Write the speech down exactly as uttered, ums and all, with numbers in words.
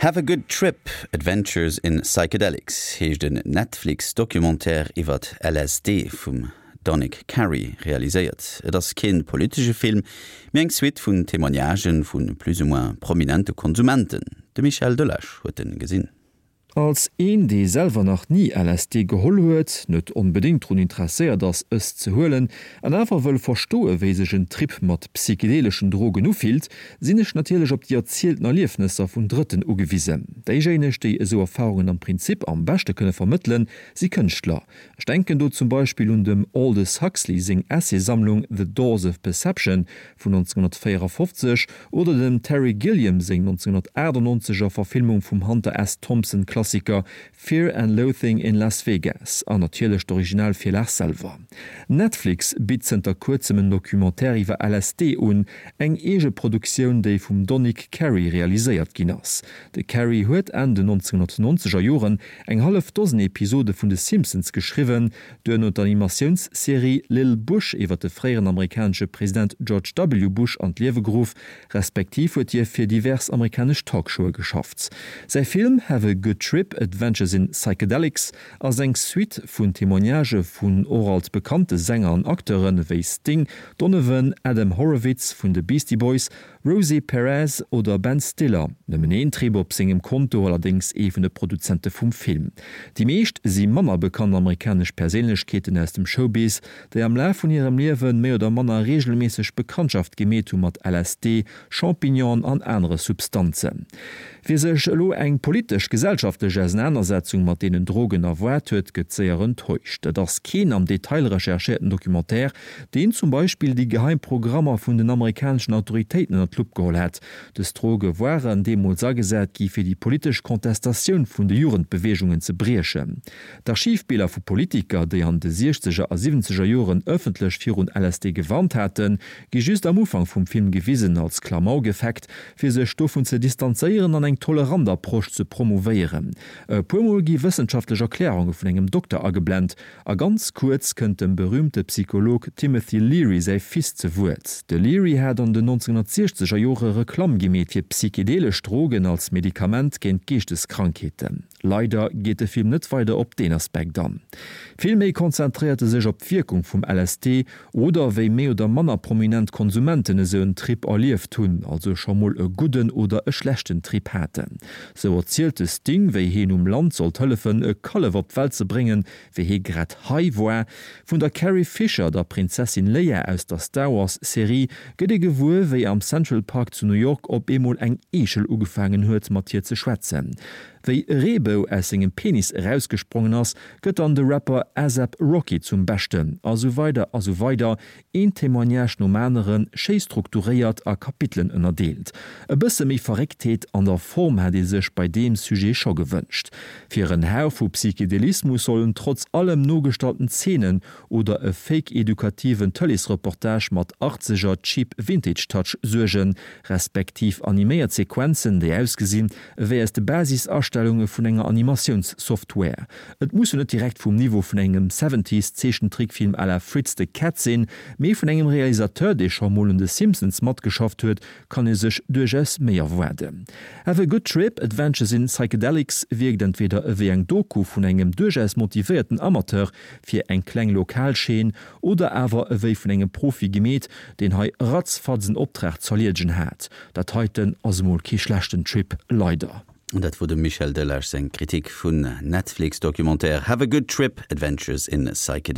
Have a Good Trip Adventures in Psychedelics heescht den Netflix-Documentaire iwwer L S D vum Donick Cary realiséiert. Et ass kee politesche Film, mee eng Suite vun Témoignagen vu plus ou moins prominente Konsumenten. De Michel Delage huet en gesinn. Als een, dee selwer nach ni L S D geholl huet, net onbedéngt drun interesséiert ass, es ze huelen, an awer wëll verstoe wéi sech en Trip mat psychedeleschen Drogen ufillt, sinn ech natierlech op déi erzielten Erliefnesser vun Drëtten ugewisen. Déijéineg, déi esou Erfarungen am Prinzip am beschte kënne vermëttelen, si Kënschtler. Ech denken do zum Beispill un dem Aldous Huxley seng Essaysammlung The Doors of Perception vun nonzénghonnertvéierafofzeg oder dem Terry Gilliam seng nonzénghonnertaachtenonzeger Verfilmung vum Hunter S. Thompson Klassiker Fear and Loathing in Las Vegas an natierlech d'Originalvirlag selwer. Netflix bitt zënter kuerzem en Documentaire iwwer L S D un, eng Eegeproduktioun, déi vum Donick Cary realiséiert ginn ass. De Cary huet Enn den nonzénghonnertnonzeger Joren eng hallef Dosen Episode vun de Simpsons geschriwwen, duerno d'Animatiounsserie Lil Bush iwwer de fréieren amerikanesche President George W. Bush an d'Liewe geruff, respektiv huet hie fir divers amerikanesch Talkshowe geschafft. Säi Film Have a Good Trip Adventures in Psychedelics ass eng Suite vun Témoignagë vun och alt bekannte Sänger an Acteure wéi Sting, Donovan, Adam Horovitz vun de Beastie Boys, Rosie Perez oder Ben Stiller. Nëmmen een Trip op sengem Konto, allerdéngs ee vun de Produzente vum Film. Déi meescht si manner bekannt amerikanesch Perséinlechkeeten aus dem Showbiz, déi am Laf vun hirem Liewe méi oder manner reegelméisseg Bekanntschaft gemeet hu mat L S D, Champignonen an anere Substanzen. Wie sech elo eng politesch gesellschaftlech Ausenanersetzung mat deenen Drogen erwaart huet, gëtt séier enttäuscht. Et ass keen am Detail recherchéierten Documentaire, deen zum Beispill déi geheim Programmer vun den amerikaneschen Autoritéiten ënner d'Lupp geholl hätt. Dës Droge waren deemools agesat gi fir déi politesch Kontestatioun vun de Jugendbeweegungen ze briechen. D'Archivbiller vu Politiker, déi an de siechzeger a siwwenzeger Joren ëffentlech virun L S D gewarnt haten, gi just am Ufank vum Film gewisen als Klamaukeffekt, fir sech dovun ze distanzéieren an eng tolerant Approche ze promouvéieren. E puermol gi wëssenschaftlech Erklärunge vun engem Dokter ageblent a ganz kuerz kënnt dem berüümte Psycholog Timothy Leary säi Fils zu Wuert. De Leary hat an den nonzénghonnertsiechzeger Jore Reklamm gemeet fir psychedelesch Drogen als Medikament géint Geeschteskrankheeten. Leider geet de Film net weider op deen Aspekt an. Vill méi konzentréiert e sech op d'Wierkung vum L S D oder wéi méi oder manner prominent Konsumenten esou en Trip erlieft hunn, also scho mol e gudden oder e schlechten Trip haten. Sou erzielt de Sting, wéi hien um Land sollt hëllefen, e Kallef op d'Welt ze bréngen, wéi hie grad high war. Vun der Carrie Fisher, der Prinzessin Leia aus der Star Wars Serie, gëtt ee gewuer, wéi am Central Park zu New York op eemol eng Eechel ugefaangen huet, mat hir ze schwätzen. Wéi e Reebou aus sengem Penis erausgesprongen ass, gëtt dann de Rapper A$AP Rocky zum Beschten, a sou weider a sou weider, een Témoignage nom aneren, schéi strukturéiert a Kapitelen ënnerdeelt. E bësse méi Verrécktheet an der Form hätt ee sech bei deem Sujet scho gewënscht. Fir en Hauch vu Psychedelismus sollen trotz allem nogestallten Zeenen oder e fake-edukativen Tëleesreportage mat achtzeger Cheap Vintage Touch suergen, respektiv animéiert Sequenzen, déi ausgesinn ewéi aus de Basisastellunge vun enger Animatiounssoftware. Et muss jo net direkt vum Niveau vun engem Seventies Zeechentrickfilm à la Fritz the Cat sinn, mee vun engem Realisateur, dee scho mol un de Simpsons matgeschafft huet, kann ee sech duerchaus méi erwaarden. Have a Good Trip Adventures in Psychedelics wierkt entweder ewéi eng Doku vun engem duerchaus motivéierten Amateur fir eng kleng lokal Chaîne oder awer ewéi vun engem Profi gemeet, deen hei ratzfatz en Optrag z'erleedegen hat. Dat heiten ass mol kee schlechten Trip, leider. An dat wor dem Michel Delage seng Kritik vum Netflix-Documentaire Have a Good Trip Adventures in Psychedelics.